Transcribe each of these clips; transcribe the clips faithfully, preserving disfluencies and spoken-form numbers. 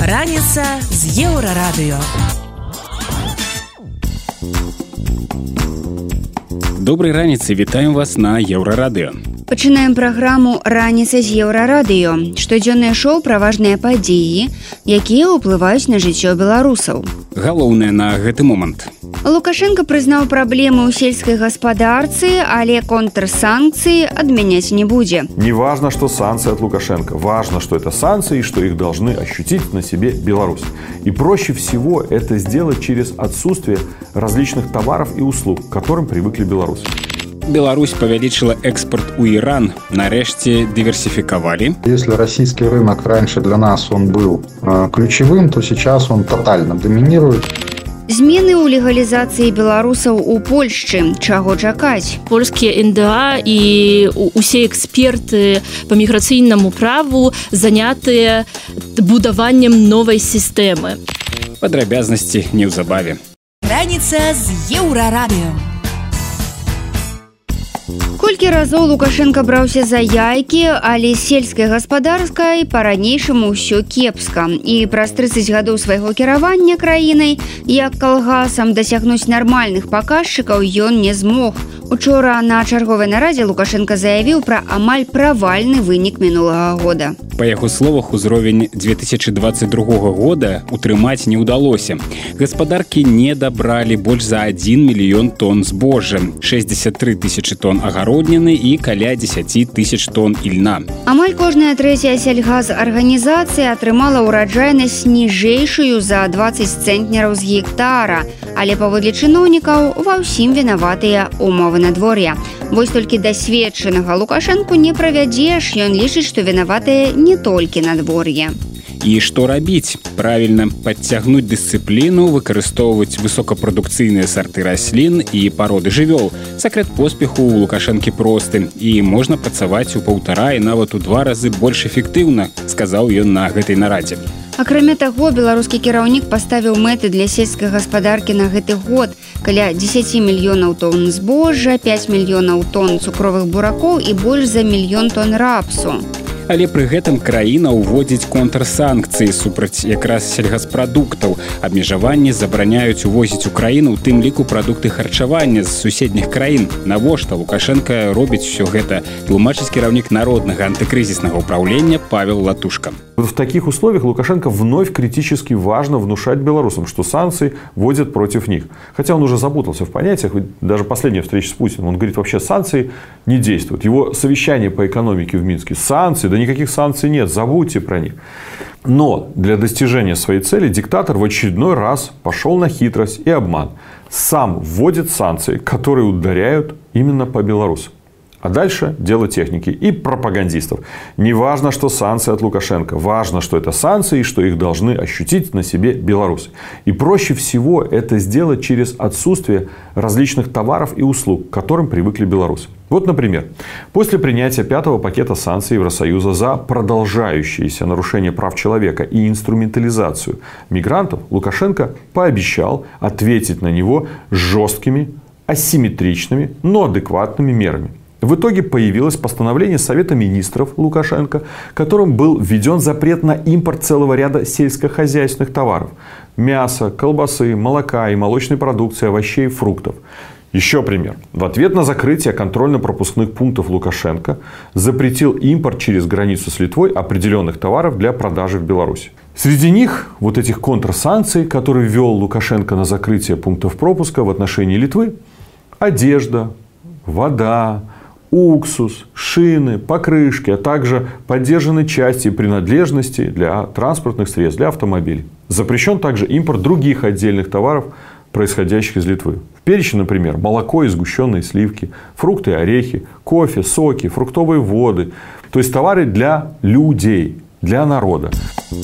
Раніца з Еўрарадыё. Добрай раніцы, вітаем вас на Еўрарадыё. Пачынаем праграму «Раніца з Еўрарадыё». Штодзённае шоу пра важныя падзеі, якія ўплываюць на жыццё беларусаў. Галоўнае на гэты момант. Лукашенко прызнаў праблемы ў сельскай гаспадарцы, але контрсанкцыі адмяняць не будзе. Не важно, что санкции от Лукашенко. Важно, что это санкции, что их должны ощутить на себе Беларусь. И проще всего это сделать через отсутствие различных товаров и услуг, к которым привыкли белорусы. Беларусь павялічыла экспорт у Иран. Нарэшце диверсификовали. Если российский рынок раньше для нас он был э, ключевым, то сейчас он тотально доминирует. Змены ў легалізацыі беларусаў у Польшчы. Чаго чакаць? Польскія эн дэ а і усе эксперты по міграцыйнаму праву занятыя будаваннем новай сістэмы. Падрабязнасці неўзабаве. Раніца з Еўрарадыё. Колькі разоў Лукашенко браўся за яйкі, але сельскай гаспадарскай па-ранейшаму ўсё кепска. І праз трыццаць гадоў свайго кіравання краінай, як калгасам дасягнуць нармальных паказчыкаў ён не змог. Учора на чарговай нарадзе Лукашенко заявіў пра амаль правальны вынік мінулага года. Па яго словах, узровень две тысячи двадцать другога года утрымаць не ўдалося. Гаспадаркі не дабралі больш за адзін мільён тонн збожжа, шэсцьдзесят тры тысячы тонн агародніны і каля дзесяць тысяч тонн ільна. Амаль кожная трэцяя сельгазарганізацыя атрымала ўраджайнасць ніжэйшую за дваццаць цэнтнераў з гектара, але паводле чыноўнікаў ва ўсім вінаватыя умовы надвор'я. Вось толькі дасведчанага Лукашэнку не правядзеш, ён лічыць, што вінаватыя не толькі надвор'е. І што рабіць? Правільна, падцягнуць дысцыпліну, выкарыстоўваць высокапрадукцыйныя сарты раслін і пароды жывёл. Сакрэт поспеху ў Лукашэнкі просты, і можна працаваць у паўтара і нават у два разы больш эфектыўна, сказаў ён на гэтай нарадзе. Акрамя таго, беларускі кіраўнік паставіў мэты для сельскай гаспадаркі на гэты год. Каля дзесяць мільёнаў тонн збожжа, пяць мільёнаў тонн цукровых буракоў і больш за мільён тонн рапсу. Але пры гэтым краіна ўводзіць контрсанкцыі супраць якраз сельгаспрадуктаў. Абмежаванні забараняюць увозіць у краіну, у тым ліку прадукты харчавання з суседніх краін. Навошта Лукашенко робіць усё гэта? Тлумачыць кіраўнік народнага антыкрызіснага ўпраўлення Павел Латушка. В таких условиях Лукашенко вновь критически важно внушать белорусам, что санкции вводят против них. Хотя он уже запутался в понятиях, даже последняя встреча с Путиным, он говорит, вообще санкции не действуют. Его совещание по экономике в Минске, санкции, да никаких санкций нет, забудьте про них. Но для достижения своей цели диктатор в очередной раз пошел на хитрость и обман. Сам вводит санкции, которые ударяют именно по белорусам. А дальше дело техники и пропагандистов. Не важно, что санкции от Лукашенко. Важно, что это санкции и что их должны ощутить на себе белорусы. И проще всего это сделать через отсутствие различных товаров и услуг, к которым привыкли белорусы. Вот, например, после принятия пятого пакета санкций Евросоюза за продолжающиеся нарушения прав человека и инструментализацию мигрантов, Лукашенко пообещал ответить на него жесткими, асимметричными, но адекватными мерами. В итоге появилось постановление Совета министров Лукашенко, которым был введен запрет на импорт целого ряда сельскохозяйственных товаров. Мяса, колбасы, молока и молочной продукции, овощей и фруктов. Еще пример. В ответ на закрытие контрольно-пропускных пунктов Лукашенко запретил импорт через границу с Литвой определенных товаров для продажи в Беларуси. Среди них вот этих контрсанкций, которые ввел Лукашенко на закрытие пунктов пропуска в отношении Литвы, одежда, вода, уксус, шины, покрышки, а также поддержанные части и принадлежности для транспортных средств, для автомобилей. Запрещен также импорт других отдельных товаров, происходящих из Литвы. В перечне, например, молоко и сгущенные сливки, фрукты и орехи, кофе, соки, фруктовые воды. То есть товары для людей, для народа.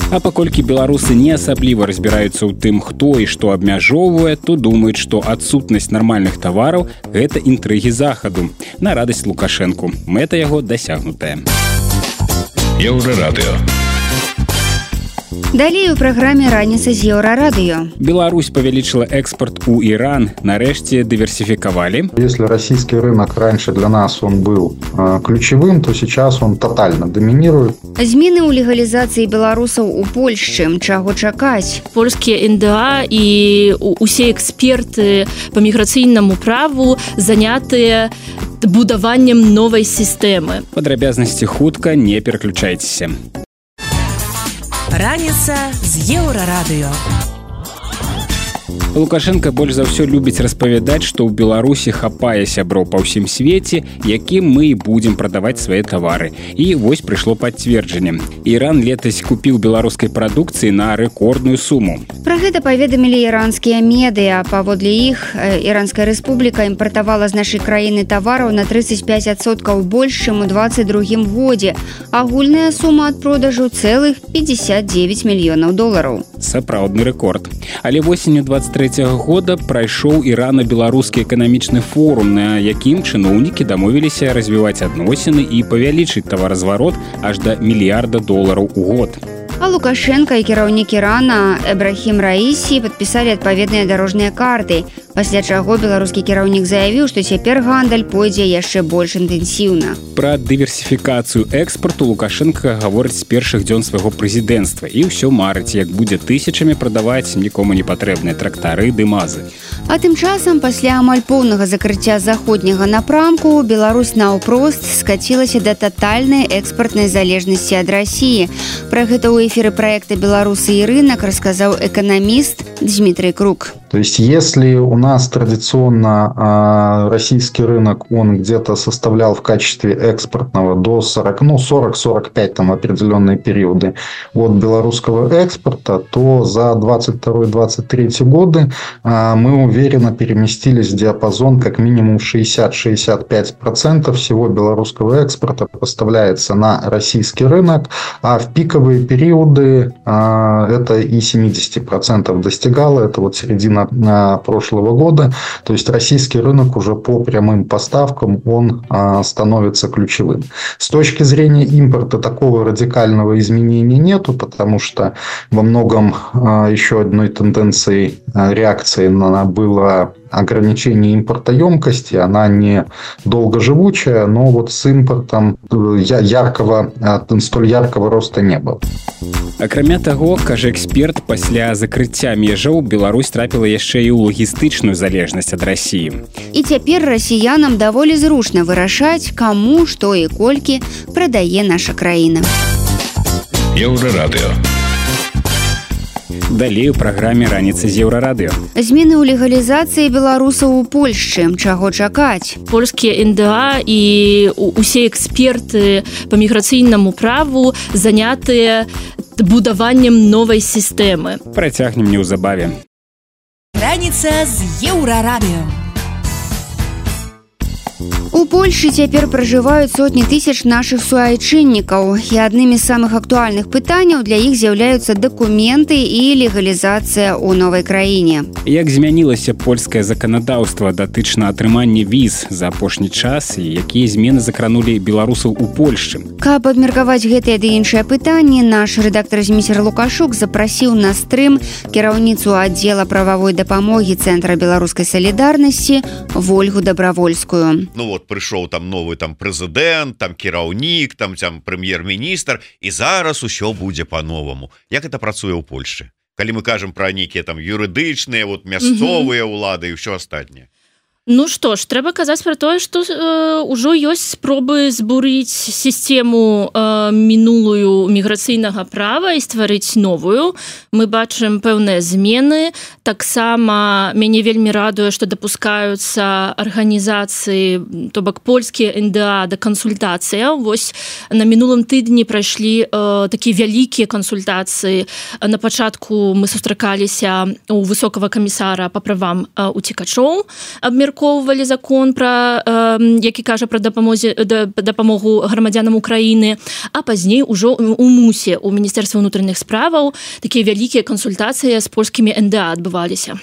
А паколькі беларусы не асабліва разбіраюцца ў тым, хто і што абмяжоўвае, то думаюць, што адсутнасць нармальных тавараў – гэта інтрыгі захаду. На радасць Лукашэнку. Мэта яго дасягнутая. Еўрарадыё. Далей у праграме «Раніца з Еўрарадыё». Беларусь павялічыла экспорт у Иран, нарэшце дыверсификовали. Если российский рынок раньше для нас он был э, ключевым, то сейчас он тотально доминирует. Змены ў легалізацыі беларусаў у Польшчы. Чаго чакаць? Польскія эн дэ а і усе эксперты по міграцыйнаму праву занятыя будаваннем новай сістэмы. Падрабязнасці хутка, не пераключайцеся. Раніца з Еўрарадыё. Лукашенко больш за ўсё любіць распавядаць, што ў Беларусі хапае сяброў па ўсім свеце, якім мы і будзем прадаваць свае тавары. І вось прыйшло пацверджанне. Іран летась купіў беларускай прадукцыі на рэкордную суму. Пра гэта паведамілі іранскія медыа. Паводле іх, Іранская рэспубліка імпартавала з нашай краіны тавараў на тридцать пять адсоткаў больш, чым у двадцать другім годзе. Агульная сума ад продажу цэлых пятьдесят девять мільёнаў долараў. Сапраўдны рэкорд. Але восенню двадцать третьего года прайшоў Ірана-беларускі эканамічны форум, на якім чыноўнікі дамовіліся развіваць адносіны і павялічыць таваразварот аж да мільярда долараў у год. А Лукашенко і кіраўнік Ірана Эбрахім Раісі падпісалі адпаведныя дарожныя карты, пасля чаго беларускі кіраўнік заявіў, што цяпер гандаль пойдзе яшчэ больш інтэнсіўна. Пра дыверсіфікацыю экспарту Лукашенко гаворыць з першых дзён свайго прэзідэнцтва і ўсё марыць, як будзе тысячамі прадаваць нікому не патрэбныя трактары ды мазы. А тым часам, пасля амаль поўнага закрыцця заходняга напрамку, Беларусь наўпрост скацілася да татальнай экспартнай залежнасці ад Расіі. Пра гэта ў эфіры проекта «Беларусы и рынок» рассказал экономист Дмитрий Круг. То есть, если у нас традиционно э, российский рынок, он где-то составлял в качестве экспортного до сорока, ну, сорок-сорок пять там определенные периоды от белорусского экспорта, то за двадцать второй — двадцать третий годы э, мы уверенно переместились в диапазон как минимум шестьдесят-шестьдесят пять процентов всего белорусского экспорта поставляется на российский рынок, а в пиковые периоды э, это и семьдесят процентов достигало, это вот середина прошлого года. То есть российский рынок уже по прямым поставкам он а, становится ключевым. С точки зрения импорта такого радикального изменения нету, потому что во многом а, еще одной тенденцией а, реакции на было ограничение импортоемкости, она не долгоживучая, но вот с импортом яркого, столь яркого роста не было. Акрамя таго, кажа эксперт, пасля закрыцця межаў Беларусь трапіла яшчэ і ў лагістычную залежнасць ад Расіі. І цяпер расіянам даволі зручна вырашаць, каму, што і колькі прадае наша краіна. Еўрарадыё. Далей у праграме «Раніца з Еўрарадыё». Змены ў легалізацыі беларусаў у Польшчы. Чаго чакаць? Польскія эн дэ а і усе эксперты по міграцыйнаму праву занятыя будаваннем новай сістэмы. Працягнем неўзабаве. Раніца з Еўрарадыё. У Польшчы цяпер пражываюць сотні тысяч нашых суайчыннікаў, і аднымі з самых актуальных пытанняў для іх з'яўляюцца дакументы і легалізацыя ў новай краіне. Як змянілася польскае заканадаўства датычна атрымання віз за апошні час і якія змены закранулі беларусаў у Польшчы? Каб абмеркаваць гэтыя ды іншыя пытанні, наш рэдактар Зміцер Лукашук запрасіў на стрым кіраўніцу аддзела прававой дапамогі Цэнтра беларускай салідарнасці Вольгу Дабравольскую. Ну вот прыйшоў там новы там прэзідэнт, там кіраўнік, там там прэм'ер-міністр, і зараз усё будзе па-новаму. Як это працуе ў Польшчы? Калі мы кажам пра нейкія там юрыдычныя, вот мясцовыя ўлады і ўсё астатняе. Ну што ж, трэба казаць пра тое, што э, ўжо ёсць спробы збурыць сістэму э, мінулую міграцыйнага права і стварыць новую. Мы бачым пэўныя змены. Таксама мяне вельмі радуе, што дапускаюцца арганізацыі, то бок польскія эн дэ а да кансультацыя. Вось на мінулым тыдні прайшлі э, такія вялікія кансультацыі. На пачатку мы сустракаліся у высокага камісара па правам э, уцекачоў, абмеркоўвалі закон пра э, які кажа пра дапамозе да, дапамогу грамадзянам Украіны, а пазней ужо у мусе у міністэрства ўнутраных справаў такія вялікія кансультацыі з польскімі эн дэ а адбываліся.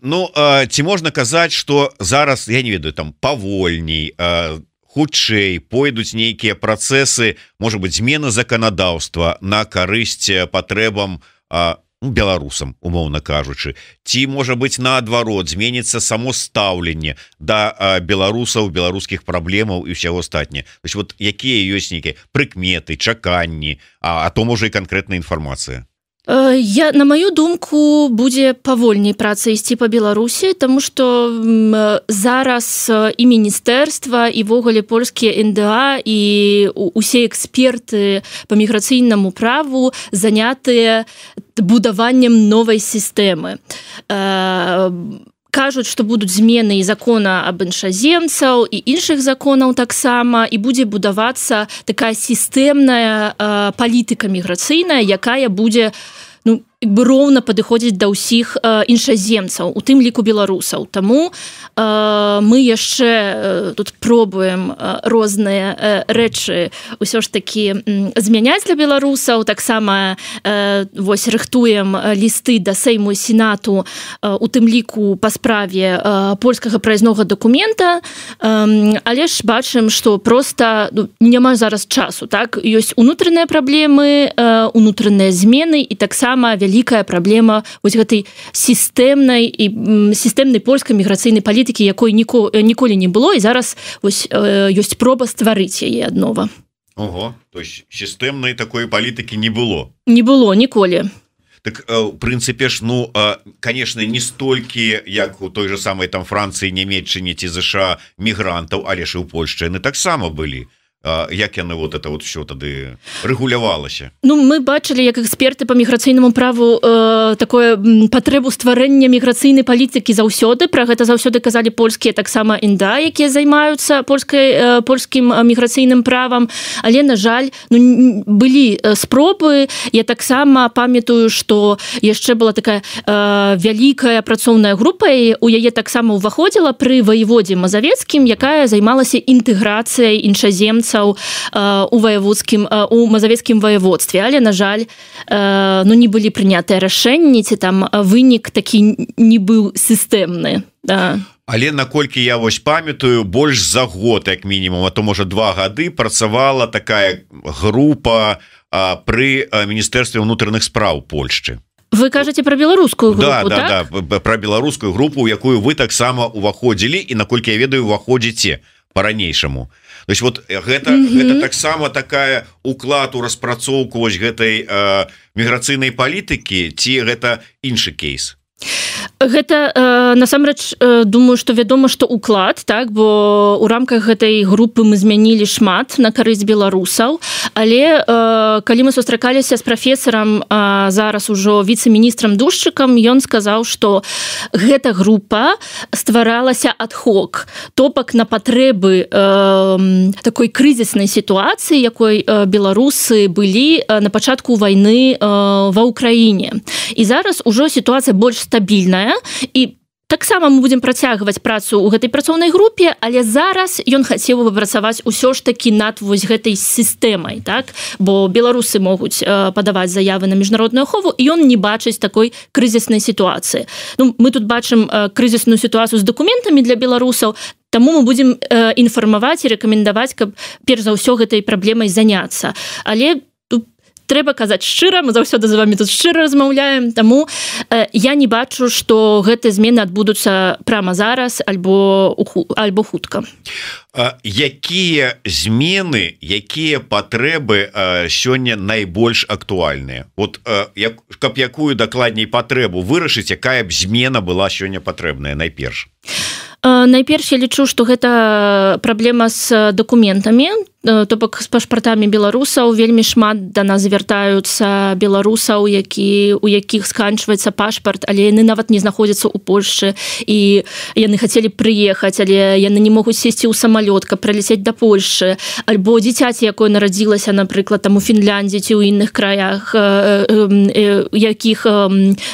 Ну э, ці можна казаць, што зараз, я не ведаю, там павольней, э, хутчэй пойдуць нейкія працэсы, можа быць, змены заканадаўства на карысць патрэбам а, ну, беларусам, умоўна кажучы, ці можа быць наадварот зменіцца само стаўленне да а, беларусаў, беларускіх праблемаў і ўсяго астатняе. То есть вот якія ёсць нейкія прыкметы, чаканні, а, а то можа і канкрэтная інфармацыя. Я, на маю думку, будзе павольней праца ісці па Беларусі, таму што зараз і міністэрства, і ввогуле польскія эн дэ а, і усе эксперты па міграцыйнаму праву занятыя будаваннем новай сістэмы. Кажуць, што будуць змены і закона аб іншаземцаў і іншых законаў таксама, і будзе будавацца такая сістэмная э, палітыка міграцыйная, якая будзе ну, бы роўна падыходзіць да ўсіх э, іншаземцаў, у тым ліку беларусаў. Таму э, мы яшчэ э, тут пробуем э, розныя э, рэчы ўсё ж такі э, змяняць для беларусаў, таксама э, вось рыхтуем лісты да Сейму і Сенату э, у тым ліку па справе э, польскага праязнога дакумента, э, але ж бачым, што проста ну, няма зараз часу, так? Ёсць унутраныя праблемы, э, унутраныя змены і таксама вялікая праблема вось гэтай сістэмнай і сістэмнай польскай міграцыйнай палітыкі, якой ніко, ніколі не было, і зараз вось э, ёсць проба стварыць яе аднова. Ого, то есть сістэмнай такой палітыкі не было. Не было ніколі. Так у прынцыпе ж ну конечно не столькі як у той же самой там Францыі, Нямецчыне ці ЗША мігрантаў, але ж і ў Польшчы яны таксама былі. Як яны вот это вот все тады рэгулявалася? Ну, мы бачылі, як эксперты па міграцыйнаму праву э, такое патрэбу стварэння міграцыйнай палітыкі заўсёды. Пра гэта заўсёды казалі польскія таксама эн дэ а, якія займаюцца польскай, э, польскім міграцыйным правам. Але, на жаль, ну, былі спробы. Я таксама памятаю, што яшчэ была такая э, вялікая працоўная група, і у яе таксама ўваходзіла пры ваеводзе Мазавецкім, якая займалася інтэграцыяй іншаземцаў у ваяводскім, у мазавецкім ваяводстве, але, на жаль, ну, не былі прынятыя рашэнні, ці там вынік такі не быў сістэмны. Да. Але наколькі я вось памятаю, больш за год, як мінімум, а то, можа, два гады працавала такая група пры Міністэрстве ўнутраных спраў Польшчы. Вы кажаце пра беларускую групу, да, так? Да, да, пра беларускую групу, у якую вы таксама ўваходзілі, і, наколькі я ведаю, ўваходзіце па-ранейшаму. То есть вот гэта, mm-hmm. гэта таксама такая уклад у распрацоўку вось гэтай э, міграцыйнай палітыкі, ці гэта іншы кейс? Гэта э, насамрэч э, думаю, што вядома, што уклад, так, бо ў рамках гэтай групы мы змянілі шмат на карысць беларусаў, але э, калі мы сустракаліся з прафесарам, э, зараз ужо віцэ-міністрам Душчыкам, ён сказаў, што гэта група стваралася ад-хок, топак на патрэбы э, такой крызіснай сітуацыі, якой э, беларусы былі э, на пачатку вайны э, ва ўкраіне. І зараз ужо сітуацыя больш стабільная, і таксама мы будзем працягваць працу ў гэтай працоўнай групе, але зараз ён хацеў бы працаваць усё ж такі над вось гэтай сістэмай, так? Бо беларусы могуць э, падаваць заявы на міжнародную ахову, і ён не бачыць такой крызіснай сітуацыі. Ну, мы тут бачым э, крызісную сітуацыю з дакументамі для беларусаў, таму мы будзем э, інфармаваць і рэкамендаваць, каб перш за ўсё гэтай праблемай заняцца. Але трэба казаць шчыра, мы заўсёды з вами тут шчыра размаўляем, таму э, я не бачу, што гэтыя змены адбудуцца прямо зараз альбо, альбо хутка. А, якія змены, якія патрэбы а, сёння найбольш актуальныя? Вот а, як, каб якую дакладней патрэбу вырашыць, якая б змена была сёння патрэбная найперш? Найперш я лічу, што гэта праблема з дакументамі, то бок з пашпартамі беларусаў. Вельмі шмат да нас звяртаюцца беларусаў, які, у якіх сканчваецца пашпарт, але яны нават не знаходзяцца ў Польшчы, і яны хацелі прыехаць, але яны не могуць сесці ў самалёт, каб прыляцець да Польшчы, альбо дзіцяці, якое нарадзілася, напрыклад, там у Фінляндзі ці ў іншых краях, якіх,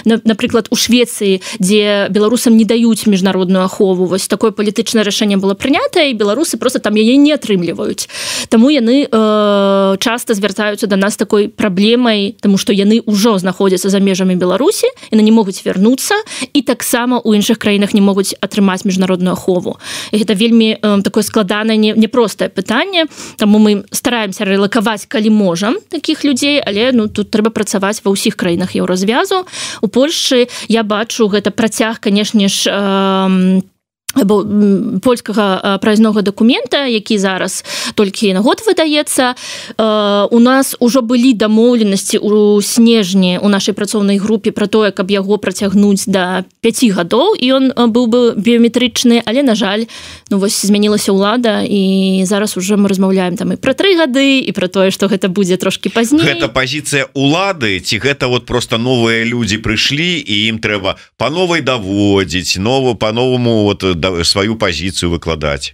напрыклад, у Швецыі, дзе беларусам не даюць міжнародную ахову. Вось такое палітычнае рашэнне было прынятае, і беларусы просто там яе не атрымліваюць. Таму яны э, часта звяртаюцца да нас такой праблемай, таму што яны ўжо знаходзяцца за межамі Беларусі, яны не могуць вярнуцца, і таксама ў іншых краінах не могуць атрымаць міжнародную ахову. І гэта вельмі э, такое складанае, непростае пытанне, таму мы стараемся рэлакаваць, калі можам, такіх людзей, але ну, тут трэба працаваць ва ўсіх краінах еўразвязу. У Польшчы я бачу гэта працяг, канешне ж, э, польскага праязнога дакумента, які зараз толькі на год выдаецца. У нас ужо былі дамоўленасці ў снежні у нашай працоўнай групе пра тое, каб яго працягнуць да пяці гадоў, і ён быў бы біёметрычны, але, на жаль, ну, вось змянілася ўлада, і зараз уже мы размаўляем там і пра тры гады, і пра тое, што гэта будзе трошкі пазней. Гэта пазіцыя ўлады, ці гэта вот просто новыя людзі прыйшлі, і ім трэба па новай даводзіць, нову, па-новаму вот сваю пазіцыю выкладаць?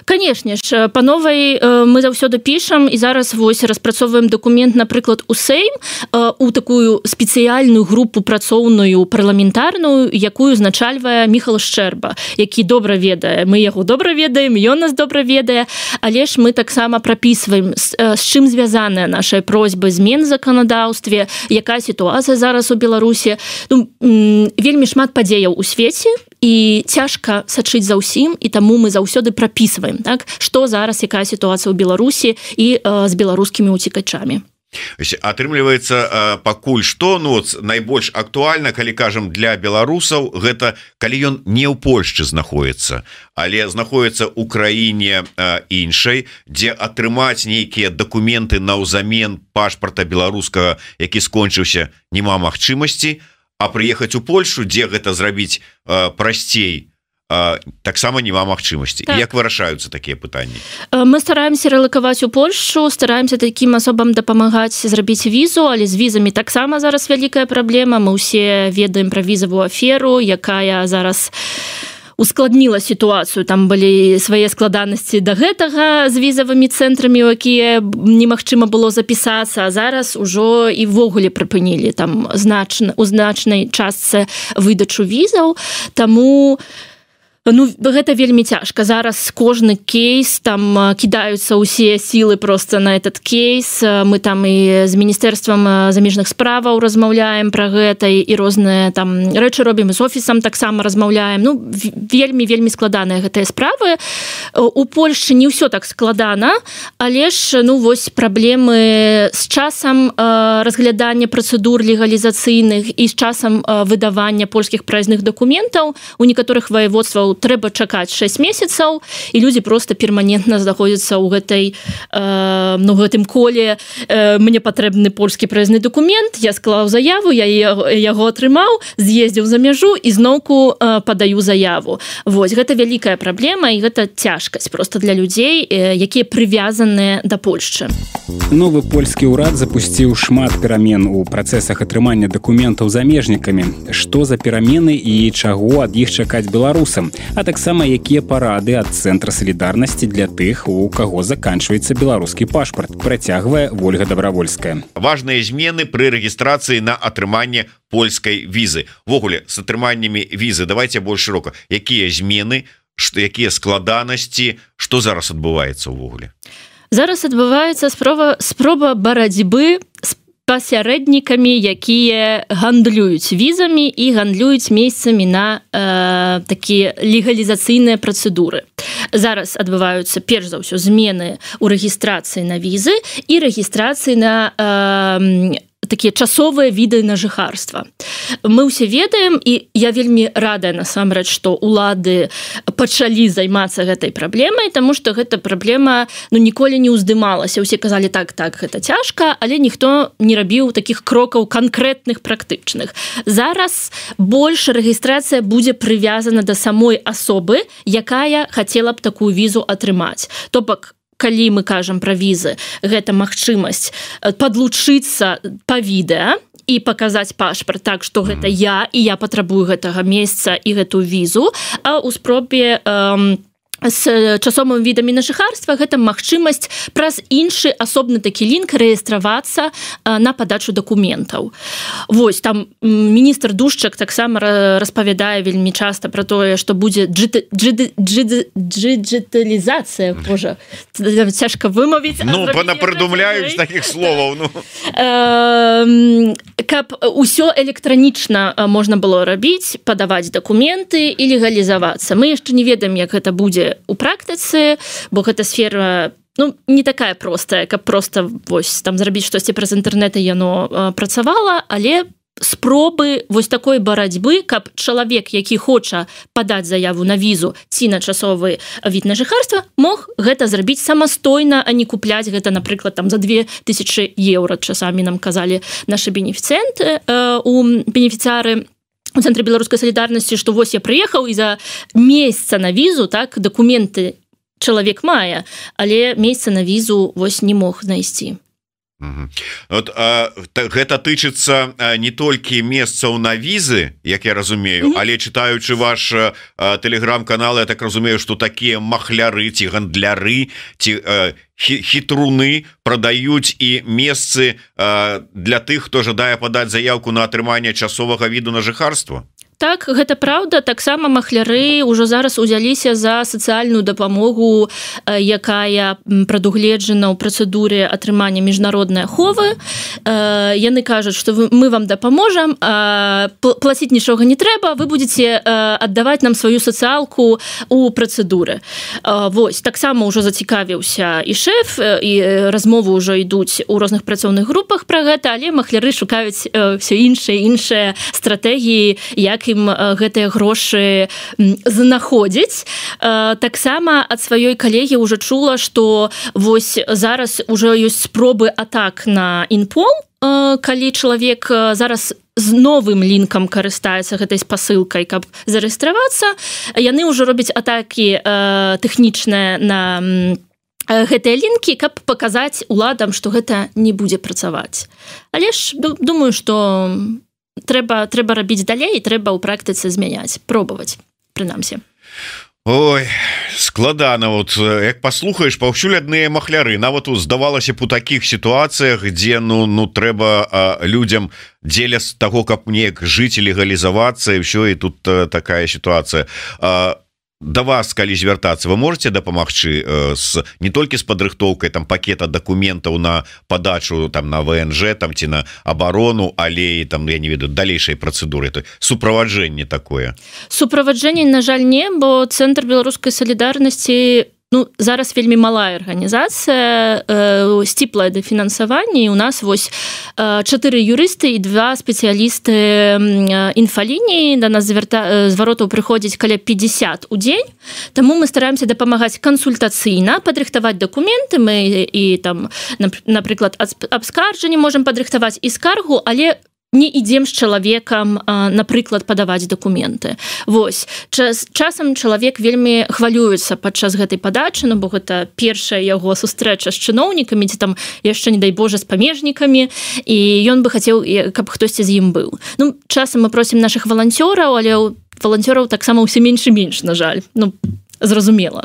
Канешне ж, па новай мы заўсёды пішам, і зараз вось распрацоўваем дакумент, напрыклад, у Сейм, у такую спецыяльную групу працоўную парламентарную, якую узначальвае Міхал Шчэрба, які добра ведае. Мы яго добра ведаем, ён нас добра ведае, але ж мы таксама прапісваем, з чым звязаная наша просьба змен заканадаўстве, якая сітуацыя зараз у Беларусі. Ну, вельмі шмат падзеяў у свеце, і цяжка сачыць за ўсім, і таму мы заўсёды прапісваем, так, што зараз, якая сітуацыя ў Беларусі і э, з беларускімі уцекачамі. Атрымліваецца, пакуль што, ну, найбольш актуальна, калі кажам, для беларусаў, гэта калі ён не ў Польшчы знаходіцца, але знаходіцца ў краіне іншай, дзе атрымаць нейкія дакументы наўзамен пашпарта беларускага, які скончыўся, няма магчымасці, а прыехаць у Польшу, дзе гэта зрабіць э, прасцей, э, таксама няма магчымасці. Так. Як вырашаюцца такія пытанні? Мы стараемся рэлакаваць у Польшу, стараемся такім асобам дапамагаць зрабіць візу, але з візамі таксама зараз вялікая праблема. Мы ўсе ведаем пра візавую аферу, якая зараз ускладніла сітуацыю, там былі свае складанасці да гэтага з візавымі цэнтрамі, у якія немагчыма было запісацца, а зараз ужо і ввогуле прыпынілі там значна, у значнай частцы выдачу візаў, таму ну, гэта вельмі цяжка. Зараз кожны кейс, там кідаюцца ўсе сілы просто на этот кейс. Мы там і з Міністэрствам замежных справаў размаўляем пра гэта, і розныя там рэчы робім, з офісам таксама размаўляем. Ну, вельмі-вельмі складаныя гэтыя справы. У Польшчы не ўсё так складана, але ж, ну, вось праблемы з часам разглядання працэдур легалізацыйных і з часам выдавання польскіх праязных дакументаў. У некаторых ваеводстваў трэба чакаць шэсць месяцаў, і людзі просто перманентна знаходзяцца ў гэтай э, ну, гэтым коле э, мне патрэбны польскі праязны дакумент, я склаў заяву, я яго атрымаў, з'ездзіў за мяжу і зноўку э, падаю заяву. Вось, гэта вялікая праблема, і гэта цяжкасць просто для людзей, э, якія прывязаныя да Польшчы. Новы польскі ўрад запусціў шмат перамен у працэсах атрымання дакументаў замежнікамі. Што за перамены і чаго ад іх чакаць беларусам? А таксама якія парады ад цэнтра салідарнасці для тых, у каго заканчваецца беларускі пашпарт, працягвае Вольга Добравольская. Важныя змены пры рэгістрацыі на атрыманне польскай візы. Ввогуле, з атрыманнямі візы давайте больш шырока. Якія змены, што, якія складанасці, што зараз адбываецца ўвогуле? Зараз адбываецца спроба, спроба барацьбы з пасярэднікамі, якія гандлююць візамі і гандлююць месцамі на э, такія легалізацыйныя працэдуры. Зараз адбываюцца перш за ўсё змены ў рэгістрацыі на візы і рэгістрацыі на э, такія часовыя віды на жыхарства. Мы ўсе ведаем, і я вельмі радая насамрэч, што улады пачалі займацца гэтай праблемай, таму што гэта праблема ну, ніколі не ўздымалася. Усе казалі так, так, гэта цяжка, але ніхто не рабіў такіх крокаў канкрэтных, практычных. Зараз больш рэгістрацыя будзе прывязана да самой асобы, якая хацела б такую візу атрымаць. То бок, калі мы кажам пра візы, гэта магчымасць падлучыцца па відэа і паказаць пашпарт так, што гэта я, і я патрабую гэтага месца і гэту візу, а ў спробе эм, з часовымі відамі на жыхарства, гэта магчымасць праз іншы асобны такі лінк рэестравацца на падачу дакументаў. Вось, там міністр Душчак таксама распавядае вельмі часта пра тое, што будзе дыджыталізацыя, божа, цяжка вымавіць. Ну, панапрыдумляюць такіх словаў, ну. Каб усё электранічна можна было рабіць, падаваць дакументы і легалізавацца. Мы яшчэ не ведаем, як гэта будзе у практыцы, бо гэта сфера, ну, не такая простая, каб просто вось там зрабіць штосьці праз інтэрнэт і яно э, працавала, але спробы вось такой барацьбы, каб чалавек, які хоча падаць заяву на візу ці на часовы від на жыхарства, мог гэта зрабіць самастойна, а не купляць гэта, напрыклад, там за две тысячы еўра, часамі нам казалі нашы бенефіцыенты, э, у бенефіцыяры у цэнтры беларускай салідарнасці, што вось я прыехаў і за месяца на візу, так, дакументы чалавек мае, але месяца на візу вось не мог знайсці. Угу. Вот, а, та, гэта тычыцца а, не толькі месцаў на візы, як я разумею, угу. але чытаючы ваш а, тэлеграм-канал, я так разумею, што такія махляры ці гандляры ці а, хітруны прадаюць і месцы а, для тых, хто жадае падаць заявку на атрыманне часовага віду на жыхарства. Так, гэта праўда, таксама махляры ўжо зараз узяліся за сацыяльную дапамогу, якая прадугледжана ў працэдуры атрымання міжнароднай аховы. Яны кажуць, што мы вам дапаможам, плаціць нічога не трэба, вы будзеце аддаваць нам сваю сацыялку ў працэдуры. Вось, таксама ўжо зацікавіўся і шэф, і размовы ўжо ідуць у розных працоўных групах пра гэта, але махляры шукаюць ўсё іншыя, іншыя стратэгіі, як ім гэтыя грошы знаходзіць. Таксама ад сваёй калегі ўжо чула, што вось зараз ўжо ёсць спробы атак на інпол, калі чалавек зараз з новым лінкам карыстаецца гэтай спасылкай, каб зарэестравацца. Яны ўжо робяць атакі тэхнічныя на гэтыя лінкі, каб паказаць уладам, што гэта не будзе працаваць. Але ж думаю, што трэба трэба рабіць далей, трэба ў практыцы змяняць, пробаваць, прынамсі. Ой, складана, вот як паслухаеш, паўсюль адныя махляры. Нават здавалася б у такіх сітуацыях, дзе ну ну трэба а, людзям дзеля з таго, каб неяк жыць і легалізавацца, і ўсё, і тут а, такая сітуацыя. А, да вас, калі звяртацца, вы можете дапамагчы э, с не толькі з падрыхтоўкай там пакета дакументаў на падачу там на ВНЖ там ці на абарону, але і там я не ведаю далейшай працэдуры, то суправаджэнне такое. Суправаджэнне, на жаль, не, бо цэнтр беларускай салідарнасці, ну, зараз вельмі малая арганізацыя, э, сціплае дафінансаванне, і у нас вось э, чатыры юрысты і два спецыялісты э, інфалініі, да нас звярта... зваротаў прыходзіць каля пятьдесят у дзень, таму мы стараемся дапамагаць кансультацыйна, падрыхтаваць дакументы, мы і там, напрыклад, абскарджанне можам падрыхтаваць і скаргу, але не ідзем з чалавекам, напрыклад, падаваць дакументы. Вось, час, часам чалавек вельмі хвалюецца падчас гэтай падачы, ну, бо гэта першая яго сустрэча з чыноўнікамі, ці там яшчэ, не дай Божа, з памежнікамі, і ён бы хацеў, каб хтосьці з ім быў. Ну, часам мы просім нашых валанцёраў, але ў валанцёраў таксама ўсё менш і менш, на жаль. Ну, зразумела,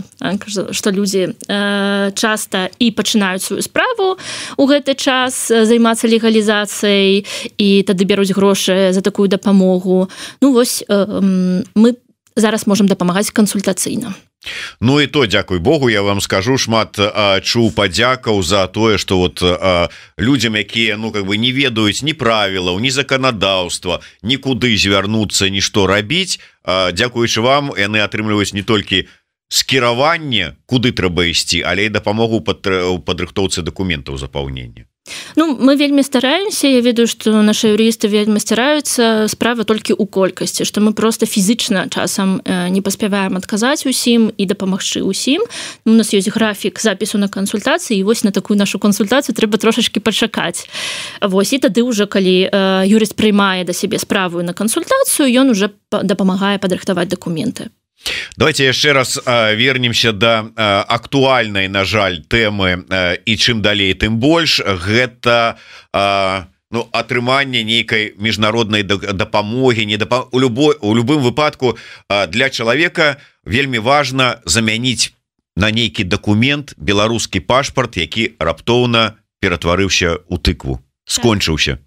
што людзі э, часта і пачынаюць сваю справу у гэты час займацца легалізацыяй і тады бяруць грошы за такую дапамогу. Ну вось э, мы зараз можам дапамагаць кансультацыйна. Ну і то, дзякуй Богу, я вам скажу, шмат а, чуў падзякаў за тое, што вот а, людзям, якія ну как бы не ведаюць ні правілаў, ні заканадаўства, нікуды звярнуцца, нішто рабіць, а, дзякуючы вам яны атрымліваюць не толькі скіраванне, куды трэба ісці, але і дапамогу у падрыхтоўцы дакументаў запаўнення. Ну, мы вельмі стараемся, я ведаю, што нашы юрысты вельмі стараюцца, справа толькі ў колькасці, што мы проста фізічна часам не паспяваем адказаць усім і дапамагчы ўсім. У нас ёсць графік запісу на кансультацыі, і вось на такую нашу кансультацыю трэба трошачкі пачакаць. Вось, і тады ўжо, калі юрыст прыймае да сябе справу на кансультацыю, ён уже дапамагае падрыхтаваць дакументы. Давайте яшчэ раз а, вернемся да а, актуальнай, на жаль, тэмы а, і чым далей, тым больш. Гэта а, ну атрыманне нейкай міжнароднай дапамогі не дапа... у любой у любым выпадку для чалавека вельмі важна замяніць на нейкі дакумент беларускі пашпарт, які раптоўна ператварыўся ў тыкву, скончыўся.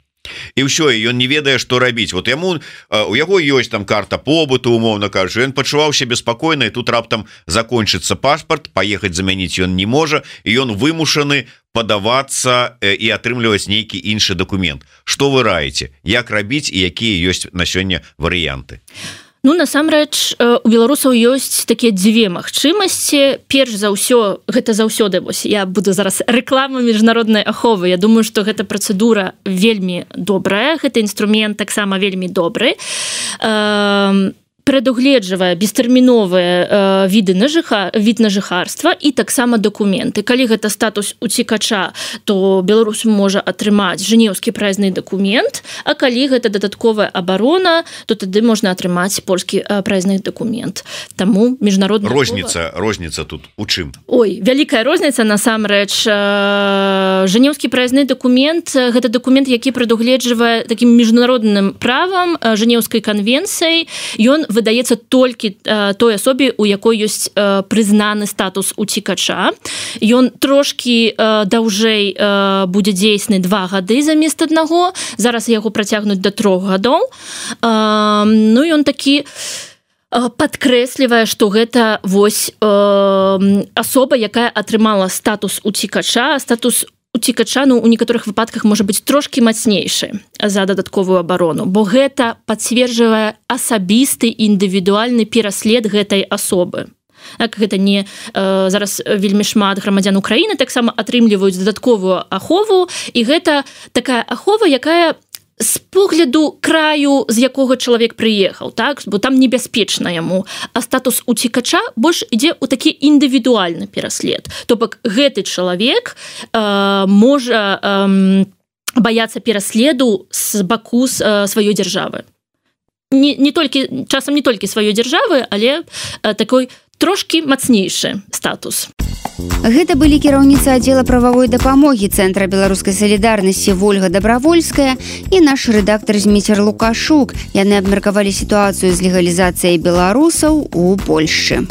І ўсё, і ён не ведае, што рабіць. Вот яму у яго ёсць там карта побыту, умоўна кажучы, ён пачуваўся беспакойна, і тут раптам закончыцца пашпарт, паехаць замяніць ён не можа, і ён вымушаны падавацца і атрымліваць нейкі іншы дакумент. Што вы раіце? Як рабіць і якія ёсць на сёння варыянты? Ну, насамрэч, у беларусаў ёсць такія дзве магчымасці. Перш за ўсё, гэта заўсёды, вось, я буду зараз рэкламу міжнароднай аховы. Я думаю, што гэта працэдура вельмі добрая, гэты інструмент таксама вельмі добры. Эм... прадугледжвае бестэрміновыя э, віды на жыха, від на жыхарства і таксама дакументы. Калі гэта статус уцікача, то беларус можа атрымаць жэнеўскі праязны дакумент, а калі гэта дадатковая абарона, то тады можна атрымаць польскі э, праязны дакумент. Таму міжнародная розніца, ахова... розніца тут у чым? Ой, вялікая розніца насамрэч. Э, жэнеўскі праязны дакумент, гэта дакумент, які прадугледжвае такім міжнародным правам э, жэнеўскай канвенцыяй. Ён выдаецца толькі э, той асобе, у якой ёсць э, прызнаны статус уцікача. Ён трошкі э, даўжэй э, будзе дзейсны два гады замест аднаго. Зараз яго працягнуць да трох гадоў. Э, ну, ён такі падкрэслівае, што гэта вось э, асоба, якая атрымала статус уцікача, статус уцікача, ну, у некаторых выпадках можа быць трошкі мацнейшы за дадатковую абарону, бо гэта пацверджвае асабісты індывідуальны пераслед гэтай асобы. Так, гэта не э, зараз вельмі шмат грамадзян Украіны таксама атрымліваюць дадатковую ахову, і гэта такая ахова, якая з погляду краю, з якога чалавек прыехаў, так? Бо там небяспечна яму, а статус уцікача больш ідзе ў такі індывідуальны пераслед. То бок гэты чалавек э, можа э, баяцца пераследу з баку э, сваёй дзяржавы. Не, не толькі, часам не толькі сваёй дзяржавы, але э, такой трошкі мацнейшы статус. Гэта былі кіраўніца аддзела прававой дапамогі Цэнтра беларускай салідарнасці Вольга Дабравольская і наш рэдактар Зміцер Лукашук. Яны абмеркавалі сітуацыю з легалізацыяй беларусаў у Польшчы.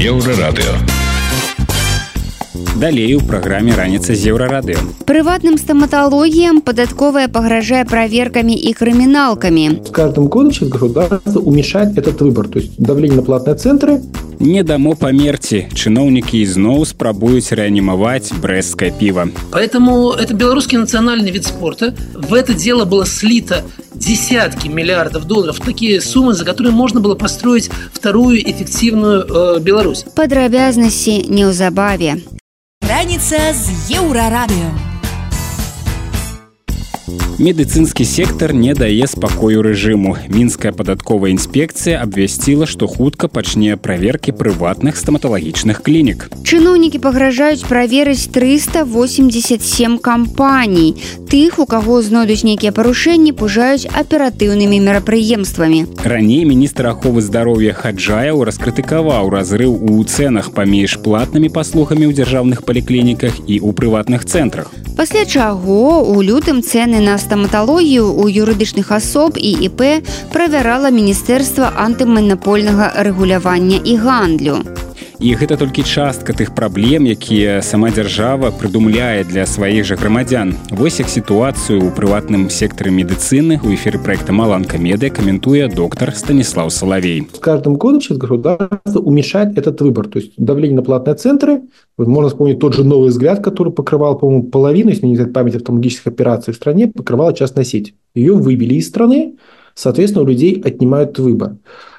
Еўрарадыё. Далей у праграме «Раніца з Еўрарадыё». Прыватным стоматологиям податковая погрожая проверками и криминалками. С каждым годом сейчас государство уменьшает этот выбор. То есть давление на платные центры. Не дамо памерці. Чыноўнікі ізноў спрабуюць рэанімаваць брэсцкае піва. Поэтому это белорусский национальный вид спорта. В это дело было слито десятки миллиардов долларов. Такие суммы, за которые можно было построить вторую эффективную э, Беларусь. Падрабязнасці неўзабаве. Раніца з Еўрарадыё. Медыцынскі сектар не дае спакою рэжыму. Мінская падатковая інспекцыя абвясціла, што хутка пачне праверкі прыватных стаматалагічных клінік. Чыноўнікі пагражаюць праверыць трыста восемьдесят семь кампаній. Тых, у каго знойдуць нейкія парушэнні, пужаюць аператыўнымі мерапрыемствамі. Раней міністр аховы здароўя Хаджаяў раскрытыкаваў разрыў у цэнах паміж платнымі паслугамі ў дзяржаўных паліклініках і ў прыватных цэнтрах. Пасля чаго у лютым цэны на стаматалогію у юрыдычных асоб і ІП правярала Міністэрства антыманапольнага рэгулявання і гандлю. І гэта толькі частка тых праблем, якія сама дзяржава прыдумляе для сваіх жа грамадзян. Вось як сітуацыю ў прыватным сектары медыцыны у эфіры проекта «Маланка Медыа» комментует доктор Станислав Соловей. С каждым годом сейчас государство уменьшает этот выбор. То есть давление на платные центры. Можно вспомнить тот же «Новый взгляд», который покрывал, по-моему, половину, если не знать память, офтальмологических операций в стране, покрывала частная сеть. Ее вывели из страны, соответственно, у людей отнимают выбор.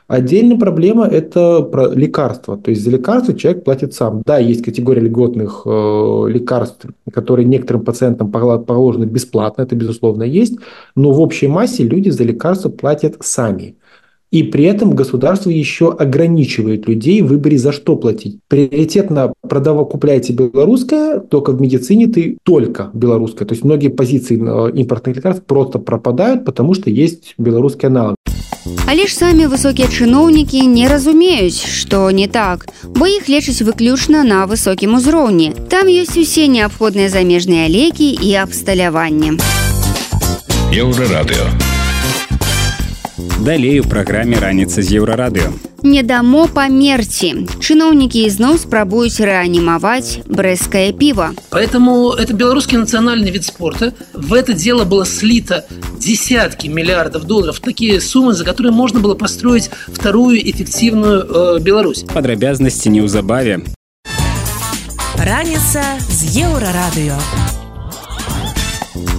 Отдельная проблема – это про лекарства. То есть за лекарства человек платит сам. Да, есть категория льготных э, лекарств, которые некоторым пациентам положены бесплатно, это безусловно есть, но в общей массе люди за лекарства платят сами. И при этом государство еще ограничивает людей в выборе, за что платить. Приоритетно продава, купляйте белорусское, только в медицине ты только белорусское. То есть многие позиции импортных лекарств просто пропадают, потому что есть белорусский аналог. Але ж самі высокія чыноўнікі не разумеюць, што не так, бо іх лечаць выключна на высокім узроўні. Там ёсць усе неабходныя замежныя лекі і абсталяванне. Еўрарадыё. Далей у праграме «Раніца з Еўрарадыё». Не дамо памерці. Чыноўнікі ізноў спрабуюць рэанімаваць брэсцкае піва. Поэтому это белорусский национальный вид спорта. В это дело было слито десятки миллиардов долларов. Такие суммы, за которые можно было построить вторую эффективную э, Беларусь. Падрабязнасці неўзабаве. Раніца з Еўрарадыё.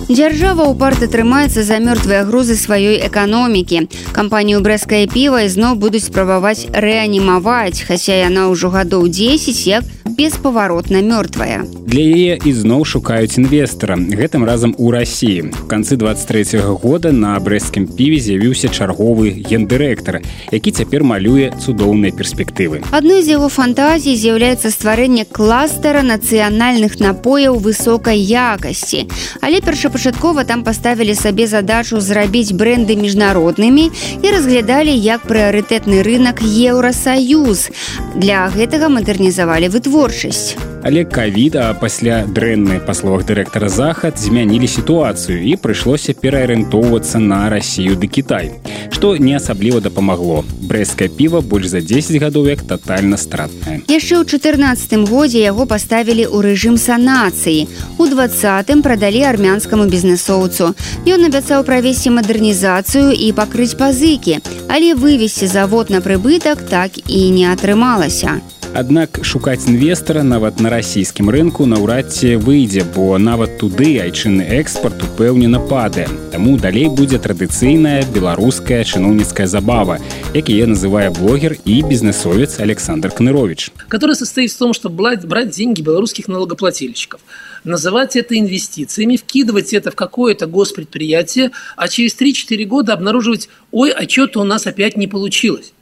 Дзяржава ўпарта трымаецца за мёртвыя грузы сваёй эканомікі. Кампанію «Брэсцкае піва» ізноў будуць спрабаваць рэанімаваць, хаця яна ўжо гадоў дзесяць як беспаваротна мёртвая. Для яе ізноў шукаюць інвестара, гэтым разам у Расіі. У канцы двадцать трэцяга года на брэсцкім піве з'явіўся чарговы гендырэктар, які цяпер малюе цудоўныя перспектывы. Адной з яго фантазій з'яўляецца стварэнне кластера нацыянальных напояў высокай якасці. Але першапачаткова там паставілі сабе задачу зрабіць брэнды міжнароднымі і разглядалі як прыярытэтны рынак Еўрасаюз. Для гэтага мадэрнізавалі вытворчасць. Але ковід, а пасля дрэннай, па словах дырэктара, захад змянілі сітуацыю і прыйшлося пераарыентоўвацца на Расію ды Кітай, што не асабліва дапамагло. Брэсцкае піва больш за дзесяць гадоў як татальна стратнае. Яшчэ ў чатырнаццатым годзе яго паставілі ў рэжым санацыі. У двадцатым прадалі армянскаму бізнэсоўцу. Ён абяцаў правесці мадэрнізацыю і пакрыць пазыкі, але вывесці завод на прыбытак так і не атрымалася. Аднак шукаць інвестара нават на расійскім рынку наўрад ці выйдзе, бо нават туды айчынны экспарт упэўнена падае. Таму далей будзе традыцыйная беларуская чыноўніцкая забава, як яе называе блогер и бизнесовец Александр Кнырович. Который состоит в том, чтобы брать деньги белорусских налогоплательщиков, называть это инвестициями, вкидывать это в какое-то госпредприятие, а через три-четыре года обнаруживать: ой, а что-то у нас опять не получилось.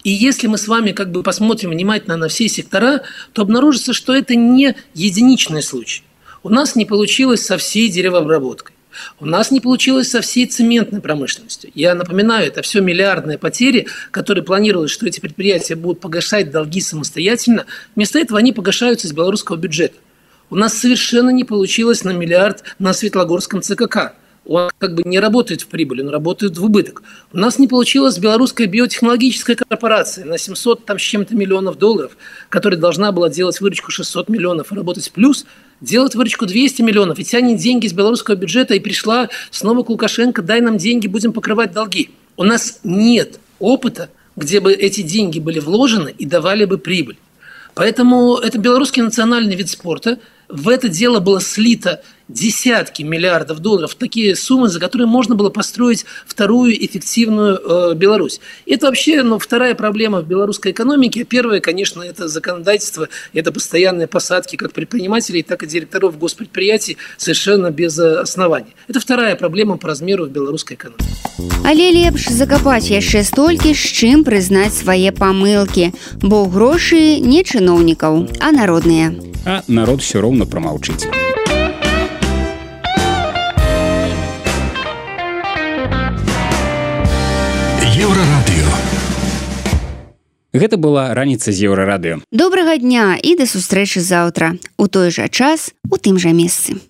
И если мы с вами как бы посмотрим внимательно на все сектора, то обнаружится, что это не единичный случай. У нас не получилось со всей деревообработкой. У нас не получилось со всей цементной промышленностью. Я напоминаю, это все миллиардные потери, которые планировалось, что эти предприятия будут погашать долги самостоятельно. Вместо этого они погашаются из белорусского бюджета. У нас совершенно не получилось на миллиард на Светлогорском ЦКК. Он как бы не работает в прибыль, он работает в убыток. У нас не получилось белорусская биотехнологическая корпорация на семьсот там, с чем-то миллионов долларов, которая должна была делать выручку шестьсот миллионов и работать в плюс, делать выручку двести миллионов и тянет деньги из белорусского бюджета, и пришла снова к Лукашенко: дай нам деньги, будем покрывать долги. У нас нет опыта, где бы эти деньги были вложены и давали бы прибыль. Поэтому это белорусский национальный вид спорта. В это дело было слито десятки миллиардов долларов. Такие суммы, за которые можно было построить вторую эффективную э, Беларусь. Это вообще ну, вторая проблема в белорусской экономике. Первая, конечно, это законодательство, это постоянные посадки как предпринимателей, так и директоров госпредприятий совершенно без оснований. Это вторая проблема по размеру в белорусской экономике. Але лепш закапаць яшчэ столькі, з чым прызнаць свае памылкі, бо грошы не чыноўнікаў, а народныя. А народ все роўна прамаўчыць. Еўрарадыё. Гэта была раніца з Еўрарадыё. Добрага дня і да сустрэчы заўтра. У той жа час, у тым жа месцы.